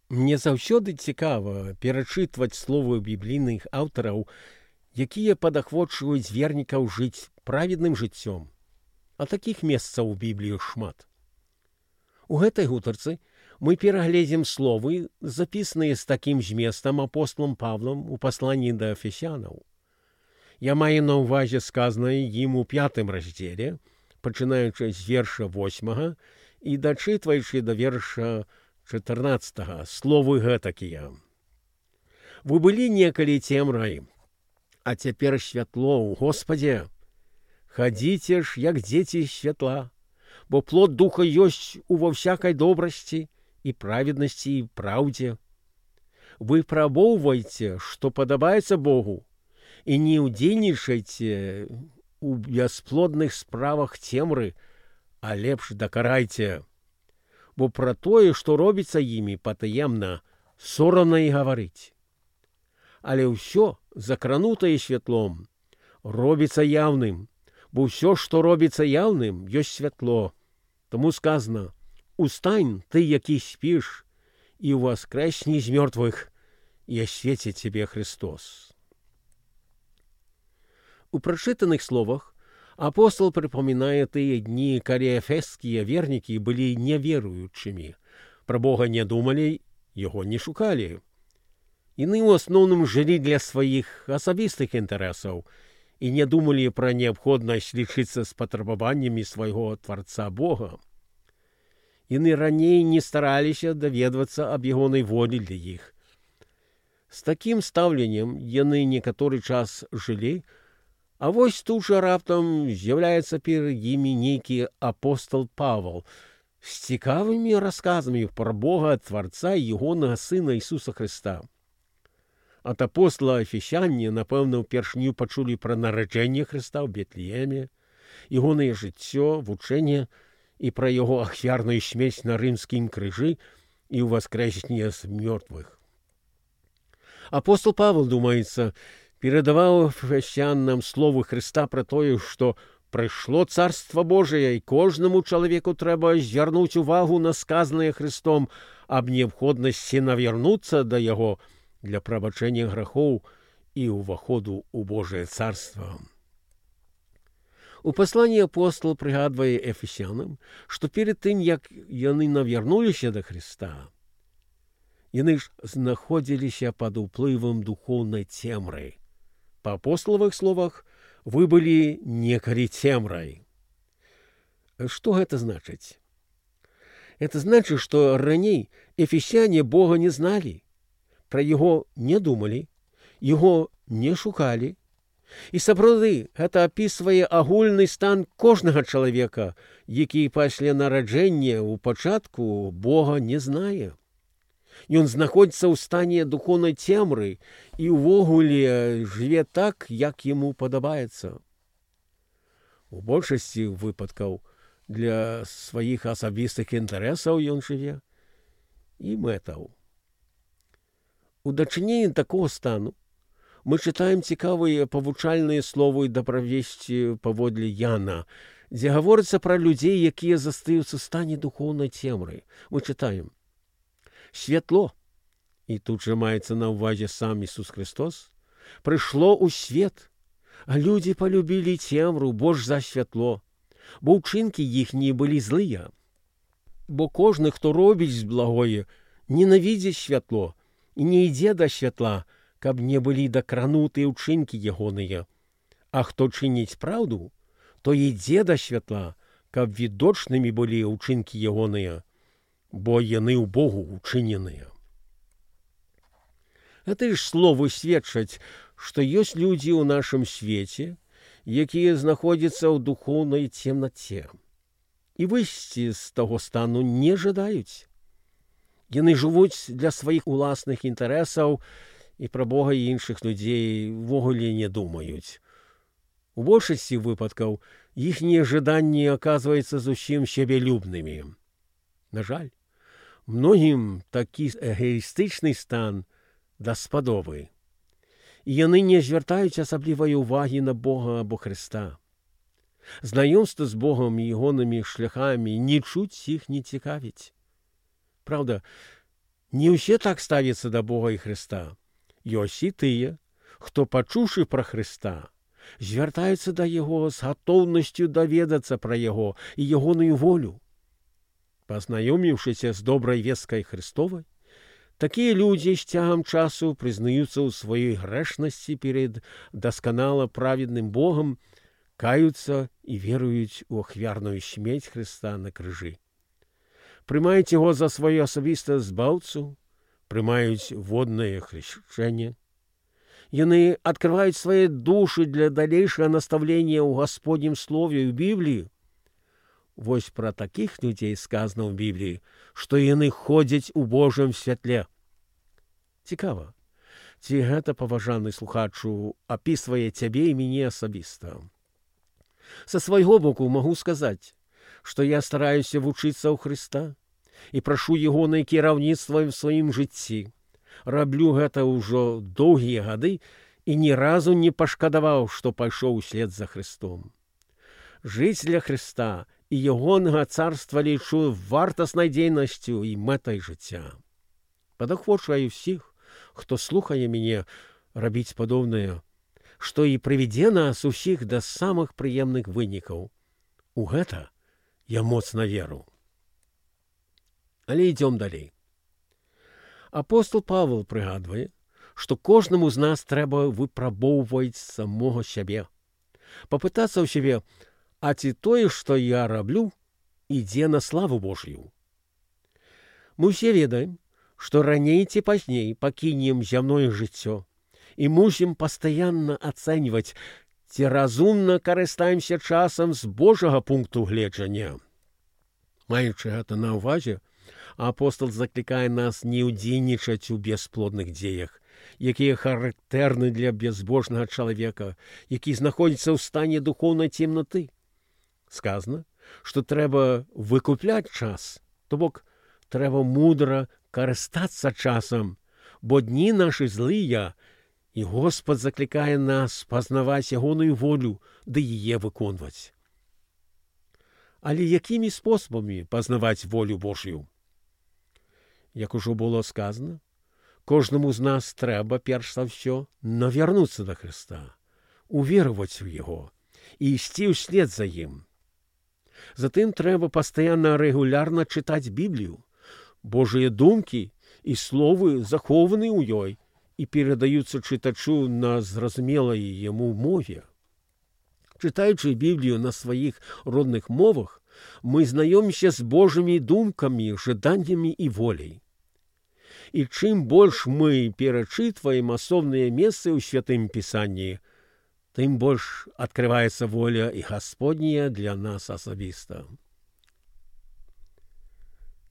Мне заўсёды цікава перачытваць словы біблійных аўтараў, якія падахвочваюць вернікаў жыць праведным жыццём. А такіх месцаў у Бібліі шмат. У гэтай гутарцы мы перагледзім словы, запісаныя з такім зместам апосталам Павлам у пасланні да эфесянаў. Я маю на ўвазе сказанае ім у 5 раздзеле, пачынаючы з верша 8 і дачытваючы да верша 14, словы гэтакія. Вы былі некалі цемрай, а цяпер святло ў Господе. Хадзіце ж, як дзеці святла, бо плод духа ёсць ува всякай добрасці і праведнасці і праўдзе. Вы прабоўвайце, што падабаецца Богу, і не ўдзельнічайце у бясплодных справах цемры, а лепш дакарайце. Бо пра тое, што робіцца імі патаемна, сорамна і гаварыць. Але ўсё, закранутае святлом, робіцца яўным, бо ўсё, што робіцца яўным, ёсць святло. Таму сказано: «Устань, ты, які спіш, і ўваскрэсні з мёртвых, і асвеціць цябе Христос». У прачытаных словах апостол прыпамінае тыя дні, калі эфескія вернікі былі неверуючымі, пра Бога не думалі, яго не шукалі. Яны ў асноўным жылі для сваіх асабістых інтарэсаў і не думалі пра неабходнасць лічыцца з патрабаваннямі свайго Тварца Бога. Яны раней не стараліся даведвацца аб ягонай волі для іх. З такім стаўленнем яны некаторы час жылі, а вось тут жа раптам з'яўляецца перад імі нейкі апостал Павал з цікавымі расказамі пра Бога Тварца і ягонага Сына Ісуса Христа. Ад апостала эфесяне, напэўна, упершыню пачулі пра нараджэнне Христа ў Бетлееме, ягонае жыццё, вучэнне і пра яго ахвярную смерць на рымскім крыжы і ўваскрэсенне з мёртвых. Апостол Павел, думаецца, перадаваў эфесянам словы Христа пра тое, што прыйшло Царства Божие, і кожнаму чалавеку трэба звярнуць увагу на сказанае Христом аб неабходнасці навярнуцца да яго для прабачэння грахоў і ўваходу ў Божае царства. У пасланні апостол прыгадвае эфесянам, што перад тым, як яны навярнуліся да Христа, яны ж знаходзіліся пад уплывам духоўнай цемры. Па апосталавых словах, вы былі некалі цемрай. Што гэта значыць? Это значыць, што раней эфесяне Бога не зналі, пра яго не думалі, яго не шукалі. І сапраўды гэта апісвае агульны стан кожнага чалавека, які пасля нараджэння ў пачатку Бога не знае. Ён знаходзіцца ў стане духоўнай цемры і ўвогуле жыве так, як яму падабаецца. У большасці выпадкаў для сваіх асабістых інтарэсаў ён жыве і мэтаў. У дачыненні такога стану мы чытаем цікавыя павучальныя словы даправесці паводле Яна, дзе гаворыцца пра людзей, якія застаюцца ў стане духоўнай цемры. Мы чытаем: «Святло», і тут жа маецца на ўвазе сам Ісус Христос, «прыйшло ў свет, а людзі палюбілі цемру больш за святло, бо ўчынкі іхнія былі злыя. Бо кожны, хто робіць благое, ненавідзіць святло і не ідзе да святла, каб не былі дакранутыя ўчынкі ягоныя. А хто чыніць праўду, то ідзе да святла, каб відочнымі былі ўчынкі ягоныя, бо яны ў Богу учыненыя». Гэты ж словы сведчаць, што ёсць людзі ў нашым свеце, якія знаходзяцца ў духоўнай цемнаце і выйсці з таго стану не жадаюць. Яны жывуць для сваіх уласных інтарэсаў і пра Бога і іншых людзей увогуле не думаюць. У большасці выпадкаў іхнія жаданні аказваюцца зусім сябелюбнымі. На жаль, многім такі эгоістычны стан даспадобы, і яны не звяртаюць асаблівай увагі на Бога або Христа. Знаёмства з Богом і ягонымі шляхамі нічуць іх не цікавіць. Праўда, Не ўсе так ставяцца да Бога і Хрыста. Ёсць і тыя, хто, пачуўшы пра Хрыста, звяртаюцца да Яго з гатоўнасцю даведацца пра Яго і ягоную волю. Пазнаёміўшыся з добрай весткай Христовай, такія людзі з цягам часу прызнаюцца ў сваёй грэшнасці перед дасканала праведным Богам, каюцца і веруюць у ахвярную смерць Христа на крыжы. Прымаюць Яго за сваё асабістае збаўцу, прымаюць воднае хрышчэнне. Яны адкрываюць свае душы для далейшага настаўлення ў Гасподнім слове ў Бібліі. Вось пра такіх людзей сказана ў Бібліі, што яны ходзяць у Божым святле. Цікава, ці гэта, паважаны слухачу, апісвае цябе і мяне асабіста. Са свайго боку магу сказаць, што я стараюся вучыцца ў Хрыста і прашу ягонае кіраўніцтва ў сваім жыцці. Раблю гэта ўжо доўгія гады і ні разу не пашкадаваў, што пайшоў услед за Христом. Жыць для Христа і ягонага царства лічу вартаснай дзейнасцю і мэтай жыцця. Падахвочваю ўсіх, хто слухае мяне, рабіць падобнае, што і прывядзе нас усіх да самых прыемных вынікаў. У гэта я моцна веру. Але ідзём далей. Апостол Павел прыгадвае, што кожнаму з нас трэба выпрабоўваць самога сябе. Папытацца ў сябе, а ці тое, што я раблю, ідзе на славу Божью. Мы ўсе ведаем, што раней ці пазней пакінем зямное жыццё і мусім пастаянна ацэньваць, ці разумна карыстаемся часам з Божага пункту гледжання. Маючы гэта на ўвазе, апостол заклікае нас не ўдзельнічаць у бясплодных дзеях, якія характэрны для бязбожнага чалавека, які знаходзіцца ў стане духоўнай цемнаты. Сказана, што трэба выкупляць час, то бок трэба мудра карыстацца часам, бо дні нашы злыя, і Господ заклікае нас пазнаваць ягоную волю ды яе выконваць. Але якімі спосабамі пазнаваць волю Божью? Як ужо было сказано, кожнаму з нас трэба, перш за ўсё, навярнуцца да Христа, увероваць у Яго і ісці ўслед за ім. Затым трэба пастаянна рэгулярна чытаць Біблію. Божыя думкі і словы захованы ў ёй і перадаюцца чытачу на зразумелай яму мове. Чытаючы Біблію на сваіх родных мовах, мы знаёмімся з Божымі думкамі, жаданнямі і воляй. І чым больш мы перачытваем асобныя месцы ў Святым Пісанні, тым больш адкрываецца воля і Гасподняя для нас асабіста.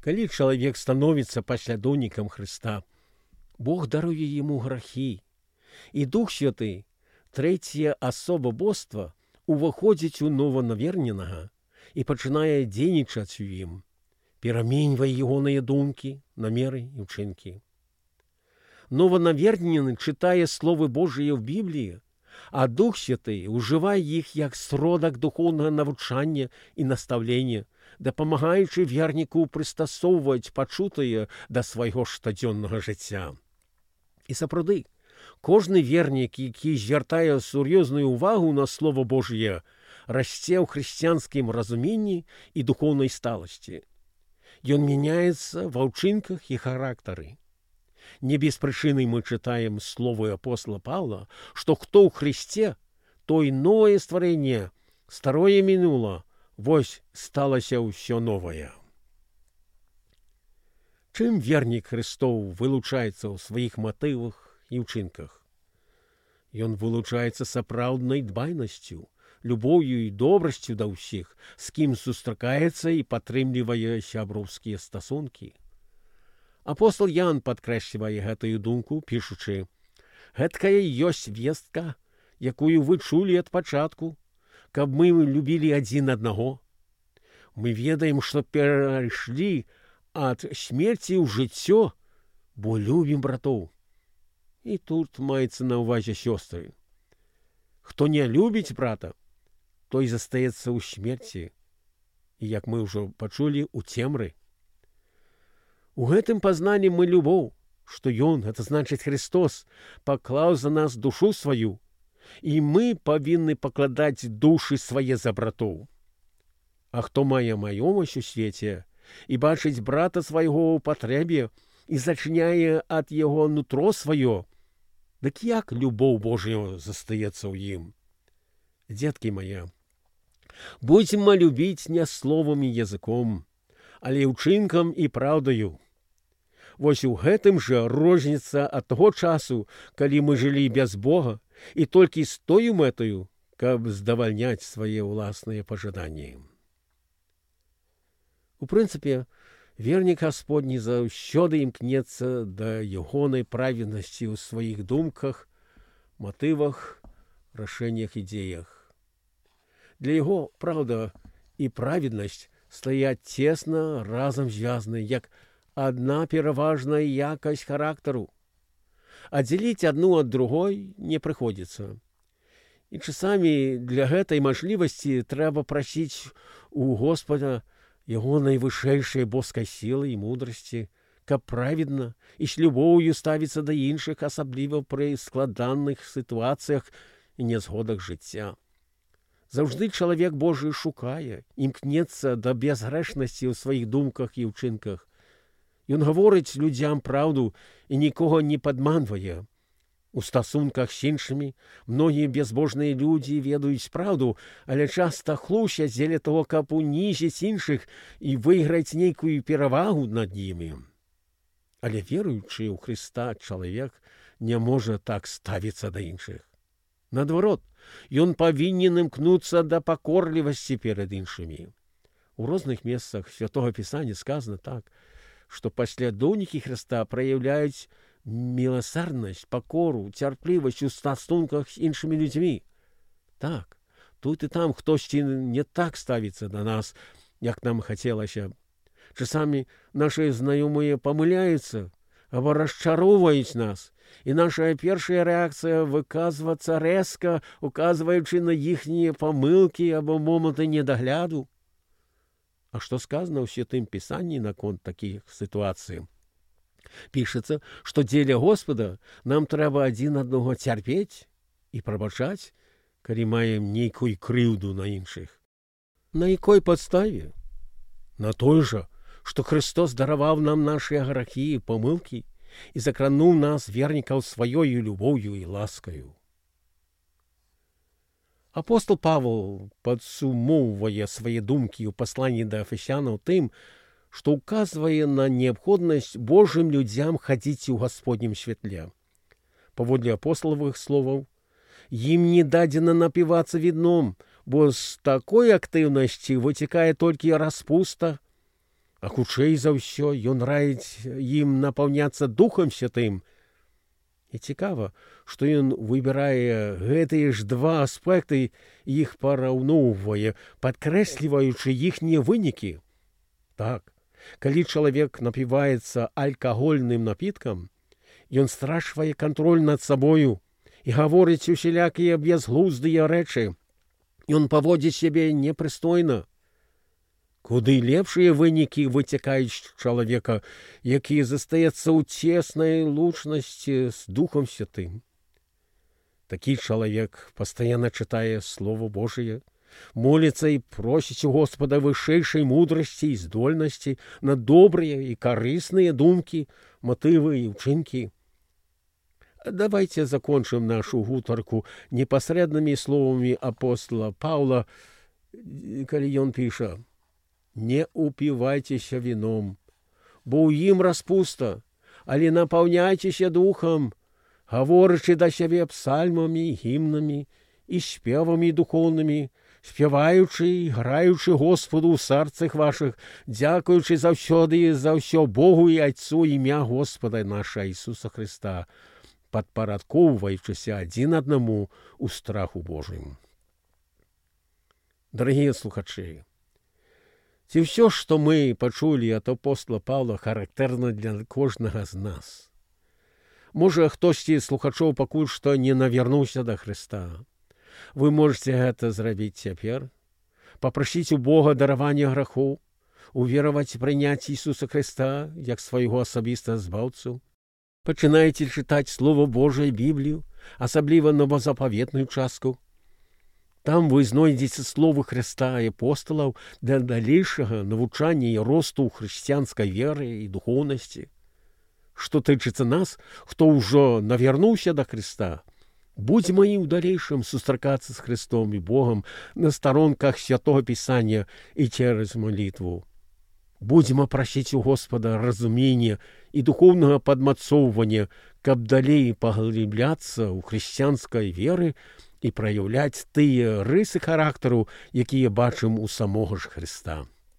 Калі чалавек становіцца паслядоўнікам Хрыста, Бог даруе яму грахі, і Дух Святы, трэцяя асоба боства, уваходзіць у нованаверненага і пачынае дзейнічаць у ім, пераменьвае ягоныя думкі, намеры і ўчынкі. Нованавернены чытае словы Божыя ў Бібліі, а Дух Святы ўжывае іх як сродак духоўнага навучання і настаўлення, дапамагаючы верніку прыстасоўваць пачутае да свайго штодзённага жыцця. І сапраўды, кожны вернік, які звяртае сур'ёзную ўвагу на Слово Божье, расце ў хрысціянскім разуменні і духоўнай сталасці. Ён мяняецца ва ўчынках і характары. Не без прычыны мы чытаем словы апостола Павла, што хто ў Христе, той новае стварэнне, старое мінула, вось сталася ўсё новае. Чым вернік Христоў вылучаецца ў сваіх матывах і ўчынках? Ён вылучаецца сапраўднай дбайнасцю, любоўю і добрасцю да ўсіх, з кім сустракаецца і падтрымлівае сяброўскія стасункі. Апостол Ян падкрэслівае гэтую думку, пішучы: «Гэткая ёсць вестка, якую вы чулі ад пачатку, каб мы любілі адзін аднаго. Мы ведаем, што перайшлі ад смерці ў жыццё, бо любім братоў». І тут маецца на ўвазе сёстры. Хто не любіць брата, той застаецца ў смерці, і, як мы ўжо пачулі, у цемры. У гэтым пазнанні мы любоў, што Ён, гэта значыць Христос, паклаў за нас душу сваю, і мы павінны пакладаць душы свае за братоў. А хто мае маёмасць у свеце і бачыць брата свайго ў патрэбе і зачыняе ад яго нутро сваё, дык як любоў Божая застаецца ў ім? Дзеткі мае, будзем любіць не словам і языком, але ўчынкам і праўдаю. Вось у гэтым жа розніца ад таго часу, калі мы жылі без Бога, і толькі з тою мэтаю, каб здавальняць свае ўласныя пажаданні. У прынцыпе, вернік Гасподні заўсёды імкнецца да ягонай праведнасці ў сваіх думках, матывах, рашэннях і дзеях. Для яго, праўда, і праведнасць стаяць цесна разам звязаны, як адна пераважная якасць характару. Аддзяліць адну ад другой не прыходзіцца. І часамі для гэтай мажлівасці трэба прасіць у Господа яго найвышэйшай боскай сілы і мудрасці, каб праведна і з любоўю ставіцца да іншых, асабліва пры складаных сітуацыях і нязгодах жыцця. Заўжды чалавек Божы шукае, імкнецца да бязгрэшнасці ў сваіх думках і ўчынках. Ён гаворыць людзям праўду і нікога не падманвае. У стасунках з іншымі многія бязбожныя людзі ведаюць праўду, але часта хлусяць дзеля того, каб унізіць іншых і выйграць нейкую перавагу над імі. Але веруючы ў Хрыста чалавек не можа так ставіцца да іншых. Наадварот, ён павінен імкнуцца да пакорлівасці перад іншымі. У розных месцах Святога Пісання сказана так, што паслядоўнікі Хрыста праяўляюць міласэрнасць, пакору, цярплівасць у стасунках з іншымі людзьмі. Так, тут і там хтосьці не так ставіцца да нас, як нам хацелася. Часамі нашы знаёмыя памыляюцца або расчароўваюць нас, і наша першая рэакцыя выказвацца рэзка, указваючы на іхнія памылкі або моманты недагляду. А што сказана ў Святым Пісанні наконт такіх сітуацый? Пішацца, што дзеля Господа нам трэба адзін аднаго цярпець і прабачаць, калі маем нейкую крыўду на іншых. На якой падставе? На той жа, што Христос дараваў нам нашыя грахі і памылкі і закрануў нас, вернікаў, сваёю любоўю і ласкаю. Апостол Павел падсумоўвае свае думкі ў пасланні да Эфесянаў тым, што ўказвае на неабходнасць Божым людзям хадзіць у Гасподнім святле. Паводле апосталавых словаў, ім не дадзена напівацца віном, бо з такой актыўнасці выцякае толькі распуста, а хутчэй за ўсё ён раіць ім напаўняцца Духам Святым. І цікава, што ён выбірае гэтыя ж два аспекты і іх параўноўвае, падкрэсліваючы іхнія вынікі. Так, калі чалавек напіваецца алкагольным напіткам, ён страчвае кантроль над сабою і гаворыць усялякія бязглуздыя рэчы. Ён паводзіць сябе непрыстойна. Куды лепшыя вынікі выцякаюць з чалавека, які застаецца ў цеснай лучнасці з Духам Святым. Такі чалавек пастаянна чытае Слово Божие, моліцца і просіць у Господа вышэйшай мудрасці і здольнасці на добрыя і карысныя думкі, матывы і ўчынкі. Давайте закончым нашу гутарку непасрэднымі словамі апостола Паўла, калі ён піша: «Не упівайцеся віном, бо ў ім распуста, але напаўняйцеся духам, гаворачы да сябе псальмамі, гімнамі і спевамі духоўнымі, спяваючы і граючы Господу ў сэрцах вашых, дзякуючы заўсёды і за ўсё Богу і Айцу імя Господа наша Ісуса Христа, падпарадкоўваючыся адзін аднаму ў страху Божым». Дарагія слухачы, ці ўсё, што мы пачулі ад апостола Паўла, характэрна для кожнага з нас? Можа, хтосьці з слухачоў пакуль што не навярнуўся да Хрыста. Вы можете гэта зрабіць цяпер, папрасіць у Бога даравання грахоў, увераваць, прыняць Ісуса Хрыста як свайго асабістага збаўцу? Пачынаеце чытаць Слово Божае, Біблію, асабліва новазапаветную частку? Там вы знойдзеце словы Хрыста і апосталаў для далейшага навучання і росту ў хрысціянскай веры і духоўнасці. Што тычыцца нас, хто ўжо навярнуўся да Хрыста, будзьма і ў далейшым сустракацца з Хрыстом і Богам на старонках Святога Пісання і цераз малітву. Будзьма прасіць у Господа разумення і духоўнага падмацоўвання, каб далей паглыбляцца ў хрысціянскай веры і праяўляць тыя рысы характару, якія бачым у самога ж Хрыста.